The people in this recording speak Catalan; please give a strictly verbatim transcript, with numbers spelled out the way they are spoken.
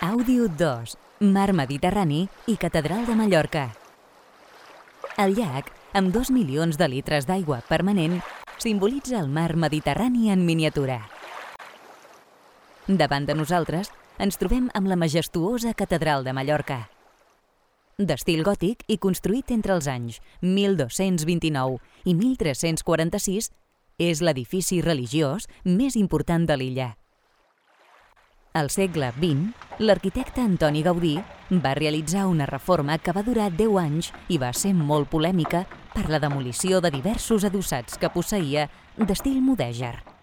Àudio dos, Mar Mediterrani i Catedral de Mallorca. El llac, amb dos milions de litres d'aigua permanent, simbolitza el mar Mediterrani en miniatura. Davant de nosaltres ens trobem amb la majestuosa Catedral de Mallorca. D'estil gòtic i construït entre els anys mil dos-cents vint-i-nou i mil tres-cents quaranta-sis, és l'edifici religiós més important de l'illa. Al segle vint, l'arquitecte Antoni Gaudí va realitzar una reforma que va durar deu anys i va ser molt polèmica per la demolició de diversos adossats que posseïa d'estil mudèjar.